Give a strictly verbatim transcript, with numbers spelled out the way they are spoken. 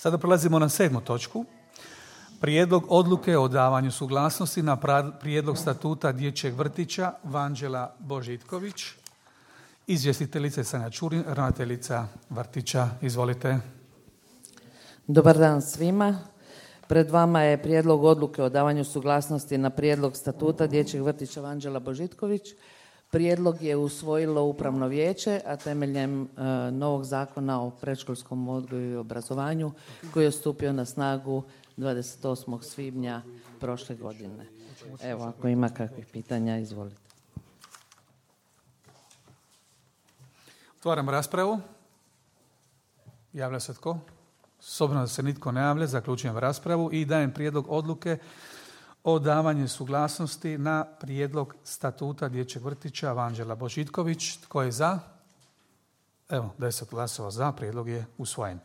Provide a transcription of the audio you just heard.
Sada prelazimo na sedmu točku. Prijedlog odluke o davanju suglasnosti na prijedlog statuta dječjeg vrtića Vanđela Božitković. Izvjestiteljica Sanja Čurin, ravnateljica vrtića. Izvolite. Dobar dan svima. Pred vama je prijedlog odluke o davanju suglasnosti na prijedlog statuta dječjeg vrtića Vanđela Božitković. Prijedlog je usvojilo Upravno vijeće, a temeljem e, novog zakona o predškolskom odgoju i obrazovanju koji je stupio na snagu dvadeset osmog svibnja prošle godine. Evo, ako ima kakvih pitanja, izvolite. Otvaram raspravu. Javlja se tko? S obzirom da se nitko ne javlja, zaključujem raspravu i dajem prijedlog odluke o davanju suglasnosti na prijedlog statuta dječjeg vrtića Vanđela Božitković. Tko je za? Evo, deset glasova za, prijedlog je usvojen.